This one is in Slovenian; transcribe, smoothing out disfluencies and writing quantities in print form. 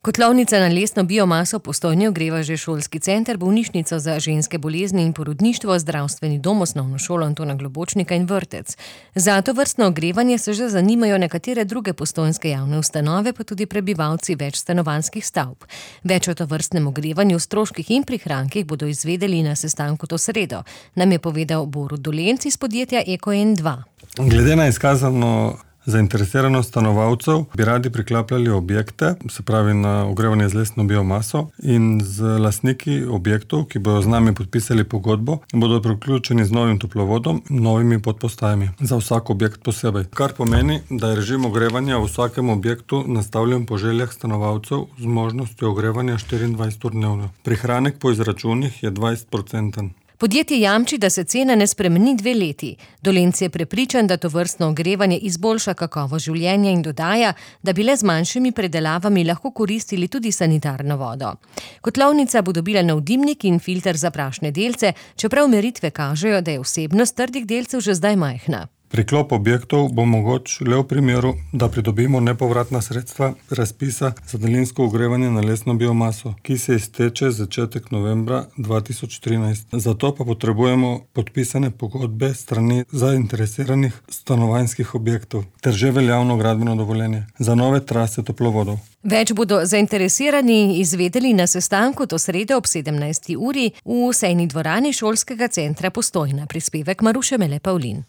Kotlovnica na lesno biomaso Postojne ogreva že šolski center, bolnišnico za ženske bolezni in porodništvo, zdravstveni dom, osnovno šolo Antona Globočnika in vrtec. Za tovrstno ogrevanje se že zanimajo nekatere druge postojnske javne ustanove, pa tudi prebivalci več stanovanjskih stavb. Več o tovrstnem ogrevanju, stroških in prihrankih bodo izvedeli na sestanku to sredo, nam je povedal Borut Dolenc iz podjetja EkoN2. Glede na izkazano zainteresiranost stanovalcev bi radi priklapljali objekte, se pravi na ogrevanje z lesno biomaso, in z lastniki objektov, ki bodo z nami podpisali pogodbo, bodo priključeni z novim toplovodom, novimi podpostajami za vsak objekt posebej. Kar pomeni, da je režim ogrevanja v vsakem objektu nastavljen po željah stanovalcev z možnostjo ogrevanja 24 ur dnevno. Prihranek po izračunih je 20%. Podjetje jamči, da se cena ne spremeni 2 leti. Dolenc je prepričan, da tovrstno ogrevanje izboljša kakovost življenja in dodaja, da bi le z manjšimi predelavami lahko koristili tudi sanitarno vodo. Kotlovnica bo dobila nov dimnik in filter za prašne delce, čeprav meritve kažejo, da je vsebnost trdih delcev že zdaj majhna. Priklop objektov bo mogoč le v primeru, da pridobimo nepovratna sredstva razpisa za daljinsko ogrevanje na lesno biomaso, ki se izteče začetek novembra 2013. Zato pa potrebujemo podpisane pogodbe strani zainteresiranih stanovanjskih objektov ter že veljavno gradbeno dovoljenje za nove trase toplovodov. Več bodo zainteresirani izvedeli na sestanku to sredo ob 17. uri v sejni dvorani šolskega centra Postojna. Prispevek Maruše Mele Pavlin.